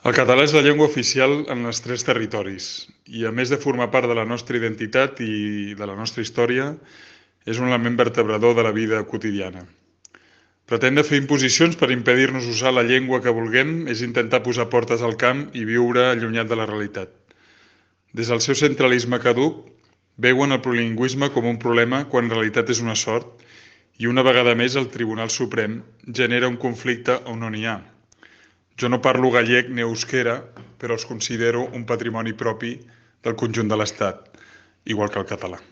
El català és la llengua oficial en els 3 territoris i, a més de formar part de la nostra identitat i de la nostra història, és un element vertebrador de la vida quotidiana. Pretendre fer imposicions per impedir-nos usar la llengua que vulguem és intentar posar portes al camp i viure allunyat de la realitat. Des del seu centralisme caduc, veuen el plurilingüisme com un problema quan en realitat és una sort i una vegada més el Tribunal Suprem genera un conflicte on no n'hi ha. Jo no parlo gallec ni euskera, però els considero un patrimoni propi del conjunt de l'Estat, igual que el català.